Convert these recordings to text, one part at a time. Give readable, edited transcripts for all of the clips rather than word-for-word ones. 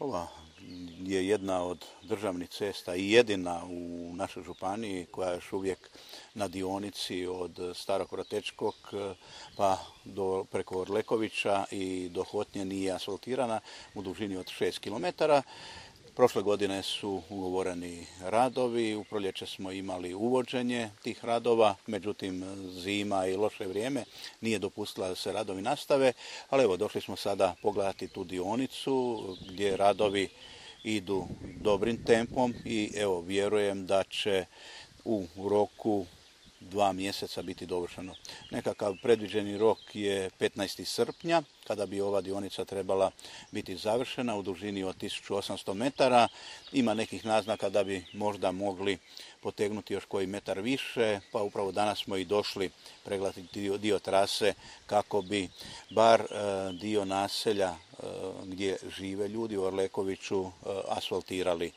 Ova je jedna od državnih cesta i jedina u našoj županiji koja je još uvijek na dionici od Starog Vratečkog pa preko Orlekovića i do Hotnje nije asfaltirana u dužini od 6 km. Prošle godine su ugovoreni radovi, u proljeće smo imali uvođenje tih radova, međutim zima i loše vrijeme nije dopustila da se radovi nastave, ali evo došli smo sada pogledati tu dionicu gdje radovi idu dobrim tempom i evo vjerujem da će u roku 2 mjeseca biti dovršeno. Nekakav predviđeni rok je 15. srpnja, kada bi ova dionica trebala biti završena u dužini od 1800 metara. Ima nekih naznaka da bi možda mogli potegnuti još koji metar više, pa upravo danas smo i došli pregledati dio trase kako bi bar dio naselja gdje žive ljudi u Orlekoviću asfaltirali.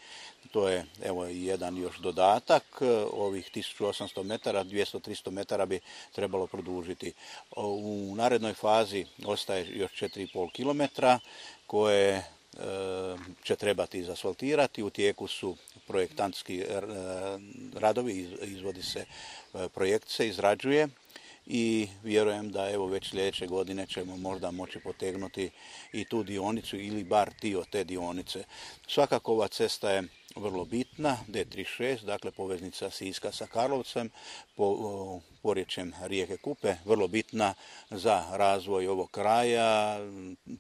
To je evo jedan još dodatak, ovih 1800 metara, 200-300 metara bi trebalo produžiti. U narednoj fazi ostaje još 4,5 km koje će trebati izasfaltirati. U tijeku su projektantski radovi, izvodi se projekt, se izrađuje i vjerujem da evo već sljedeće godine ćemo možda moći potegnuti i tu dionicu ili bar dio te dionice. Svakako ova cesta je vrlo bitna, D36, dakle poveznica Siska sa Karlovcem, porječjem rijeke Kupe, vrlo bitna za razvoj ovog kraja,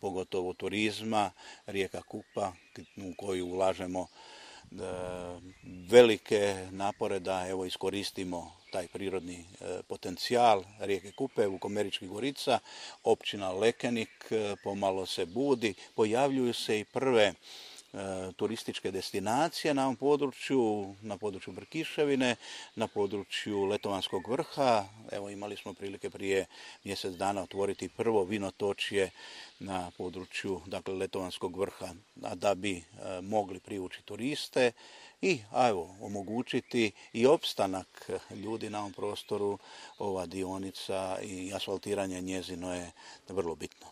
pogotovo turizma, rijeka Kupa u koju ulažemo velike napore da evo iskoristimo taj prirodni potencijal rijeke Kupe, Vukomeričkih Gorica, općina Lekenik pomalo se budi, pojavljuju se i prve turističke destinacije na ovom području, na području Brkiševine, na području Letovanskog vrha. Evo imali smo prilike prije mjesec dana otvoriti prvo vinotočje na području dakle, Letovanskog vrha, a da bi mogli privući turiste i evo, omogućiti i opstanak ljudi na ovom prostoru, ova dionica i asfaltiranje njezino je vrlo bitno.